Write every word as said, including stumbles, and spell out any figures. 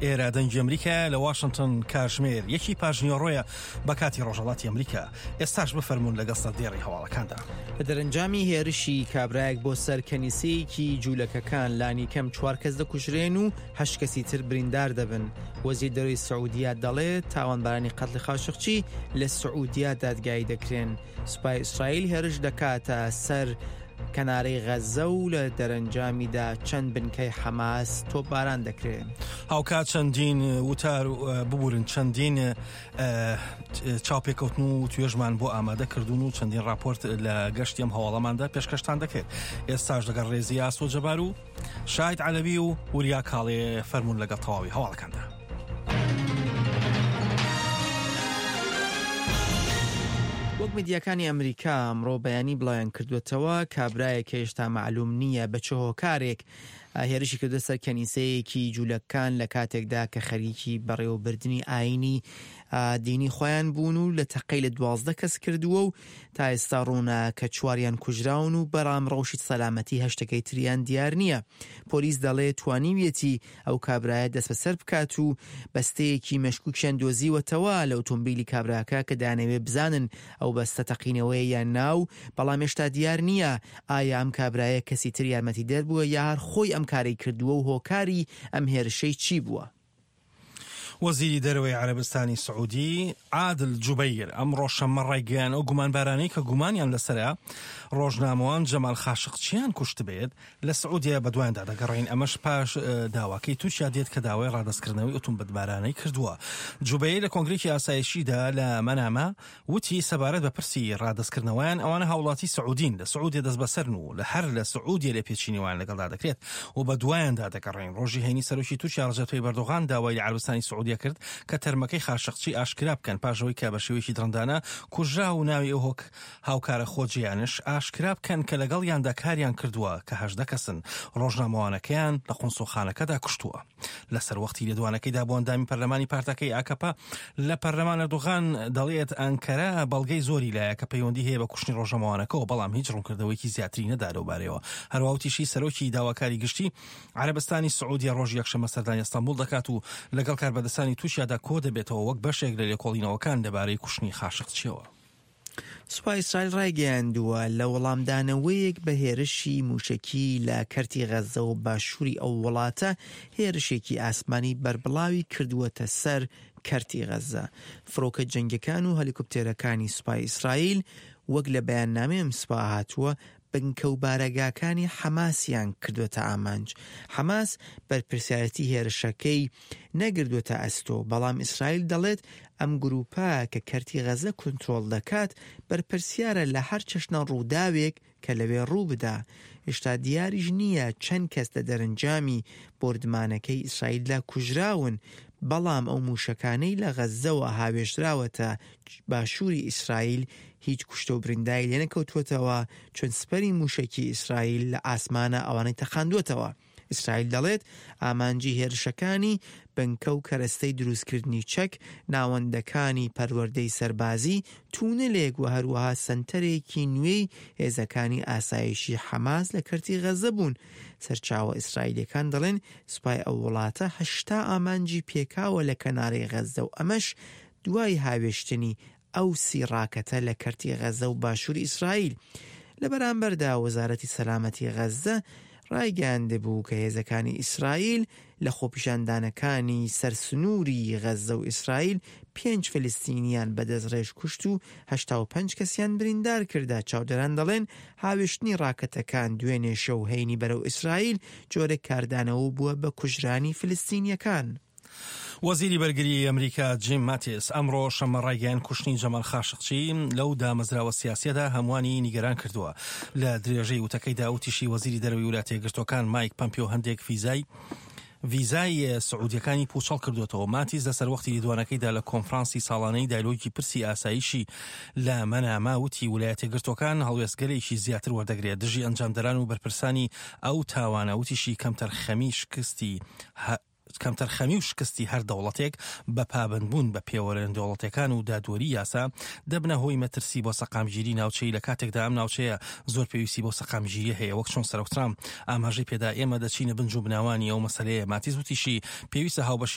ئێرە دەنگی ئەمریکایە لە واشنتن کاژمێر یەکی پاژنیوەڕۆیە بە کاتی ڕۆژهەڵاتی ئەمریکا. ئێستاش بفەرموون لەگەڵ سەردێڕی هەواڵەکاندا. لە دەرەنجامی هێرشی کابرایەک بۆ سەر کەنیسەیەکی جوولەکەکان لانیکەم چوار کەس دەکوژرێن و هەشت کەسی تر بریندار دەبن. وەزیر دەرەوەی سعودیا دەڵێت تاوانبارانی قەتڵی خاشقچی لە سعودیا دادگایی دەکرێن. سوپای ئیسرائیل هێرش دەکاتە سەر کەنارەی غەزە و لە دەرەنجامیدا چەند بنکەی حەماس تۆپباران دەکرێن. هاوکات چەندین وتار ببورن چەندین چاوپێکەوتن و توێژمان بۆ ئامادە کردوون و چەندین راپۆرت لە گەشتی ئەم هەواڵەماندا پێشکەشتان دەکرێت. ئێستاش لەگەڵ ڕێزی ئاسۆ جەبار و شاهید عەلەوی و وریا کاڵێ فەرموون لەگەڵ تەواوی هەواڵەکاندا. وەک میدیاکانی ئەمریکا ئەمڕۆ بەیانی بڵاویان کردوێتەوە کابرایەک هێشتا مەعلوم نییە بە چ هۆکارێک هێرشی کردە سەر کەنیسەیەکی جوولەکان لە کاتێکدا کە خەریکی بەڕێوەبردنی ئاینی دینی خۆیان بوون و لە تەقەی لە دوازدە کەس کردووە و تا ئێستا ڕوونە کە چواریان کوژراون و بەرام ڕەوشی سەلامەتی هەشتەکەی تریان دیار نییە. پۆلیس دەڵێ توانیویەتی ئەو کابرایە دەستبەسەر بکات و بەستەیەکی مەشکوکیان دۆزیوەتەوە لە ئۆتۆمبیلی کابراکە کە دانەوێ بزانن ئەو بەستە تەقینەوەیە یان ناو، بەڵام هێشتا دیار نییە ئایا ئەم کابرایە کەسی تر یارمەتی دەربووە یا هەر خۆی ئەم کارەی کردووە و هۆکاری ئەم هێرشەی چی بووە. وەزیری دەرەوەی عەرەبستانی سعودی عادل جوبەیر ئەمڕۆ شەممە ڕایگەیان ئەو گومانبارانەی کە گومانیان لەسەرە ڕۆژنامەوان جەمال خاشقچیان کوشتبێت لە سعودیە بەدوایاندا دەگەڕین. ئەمەش پاش داواکەی تورکیا دێت کە داوای ڕادەستکردنەوەی ئۆتۆمبیلبارانەی کردووە. جوبەیر لە کۆنگرێکی ئاسایشیدا لە مەنامە وتی سەبارەت بە پرسی ڕادەستکردنەوەیان ئەوانە هاوڵاتی سعودین لە سعودیە دەستبەسەرن و لە هەر لە سعودیە لێپێچینەوەیان لەگەڵدا دەکرێت و بەدوایاندا دەگەڕین. ڕۆژی هەینی سەرۆکی تورکیا ڕەجەب تەیب ئەردۆغان داوای لە عەرەبستانی سعودیە کرد کە تەرمەکەی خاشقچی ئاشکرا بکەن پاش ئەوەی کە بە شێوەیەکی دڕندانە کوژرا و ناوی ئەو هاوکارە خۆجێیانش ئاشکرا بکەن کە لەگەڵیاندا کاریان کردووە کە هەژدە کەسن ڕۆژنامەوانەکەیان لە قونسوڵخانەکەدا کوشتووە. لەسەر وەختی لێدوانەکەیدا بۆ ئەندامی پەرلەمانی پارتەکەی ئاکەپە لە پەرلەمان ئەردۆغان دەڵێت ئەنکەرە بەڵگەی زۆری لایە کە پەیوەندی هەیە بە کوشتنی ڕۆژنامەوانەکەەوە، بەڵام هیچ ڕوونکردنەوەیەکی زیاتری نەدا لەوبارەیەوە. هەروەها وتیشی سەرۆکی داواکاری گشتی عەرەبستانی سعودیە ڕۆژی یەکشەممە سەردانی ئەستەنبوڵ دەکات و لەگەڵ کاربەدەستانی تورکیادا کۆ دەبێتەوە وەک بەشێک لە لێکۆڵینەوەکان لەبارەی کوشتنی خاشقچیەوە. سوپای ئیسرائیل ڕایگەیاندووە لە وەڵامدانەوەیەک بە هێرشی موشکی لە کەرتی غەزە و باشووری ئەو وڵاتە هێرشێکی ئاسمانی بەربڵاوی کردووەتە سەر کەرتی غەزە. فڕۆکە جەنگەکان و هەلیکۆپتێرەکانی سوپای ئیسرائیل وەک لە بەیاننامەی ئەم سوپا هاتووە بنکە و بارەگاکانی حەماسیان کردووەتە ئامانج. حەماس بەرپرسیارەتی هێرشەکەی نەگردووەتە ئەستۆ، بەڵام ئیسرائیل دەڵێت ئەم گروپە کە کەرتی غەزە کنترۆڵ دەکات بەرپرسیارە لە هەر چەشنە ڕووداوێک کە لەوێ ڕوو بدا. هێشتا دیاریش نییە چەند کەس لە دەرەنجامی بۆردمانەکەی ئیسرائیلدا کوژراون، بەڵام ئەو موشەکانەی لە غەزەوە هاوێژراوەتە باشووری ئیسرائیل هیچ کوشتە و بریندای لێنەکەوتووەتەوە، چون سپەری موشەکی ئیسرائیل لە ئاسمانە ئەوانەی تەقاندووەتەوە. ئیسرائیل دەڵێت ئامانجی هێرشەکانی بنکە و کەرەستەی دروستکردنی چەک، ناوەندەکانی پەروەردەی سەربازی، تونلێک و هەروەها سەنتەرێکی نوێی هێزەکانی ئاسایشی حەماس لە کەرتی غەزە بوون. سەرچاوە ئیسرائیلەکان دەڵێن سوپای ئەو وڵاتە هەشتا ئامانجی پێکاوە لە کەنارەی غەزە و ئەمەش دوای هاوێشتنی ئەو سی ڕاکەتە لە کەرتی غەزە و باشووری ئیسرائیل. لە بەرامبەردا وەزارەتی سەلامەتی غەزە ڕایگەیاندبوو کە هێزەکانی ئیسرائیل لە خۆپیشاندانەکانی سەرسنووری غەزە و ئیسرائیل پێنج فلستینیان بە دەستڕێژ کوشت و هەشتا و پەنج کەسیان بریندار کردا. چاودێران دەڵێن هاوێشتنی ڕاکەتەکان دوێنێ شەو هەینی بەرەو ئیسرائیل جۆرێک کاردانەوە بووە بە کوژرانی فلستینیەکان. وەزیری بەرگری ئەمریکا جیم ماتیس ئەمڕۆ شەممە ڕایگەیاند کوشتنی جەمال خاشقچی لەو دامەزراوە سیاسیەدا هەمووانی نیگەران کردووە. لە درێژەی وتەکەیدا وتیشی وەزیری دەرەوەی وڵاتە یەکگرتووەکان مایک پەمپیۆ هەندێک فیزای ڤیزای سعودیەکانی پوچەڵ کردوێتەوە. ماتیس لە سەروەختی لێدوانەکەیدا لە کۆنفرانسی ساڵانەی دایلۆگی پرسی ئاسایشی لە مەناما وتی ویلایەتە یەکگرتووەکان هەڵوێستگەلێکی زیاتر وەردەگرێت دژی ئەنجامدەران و بەرپرسانی ئەو تاوانە. وتیشی کەمتەرخەمی شکستی کەمتەرخەمی و شکستی هەر دەوڵەتێک بە پابەندبوون بە پێوەرە دەوڵەتەکان و دادوەری یاسا دەبنە هۆی مەترسی بۆ سەقامگیری ناوچەی، لە کاتێکدا ئەم ناوچەیە زۆر پێویستی بۆ سەقامگیری هەیە. وەک چۆن سەرۆک ترامپ ئاماژەی پێدا ئێمە دەچینە بنج و بناوانی ئەو مەسەلەیە. ماتیس وتیشی پێویستە هاوبەشی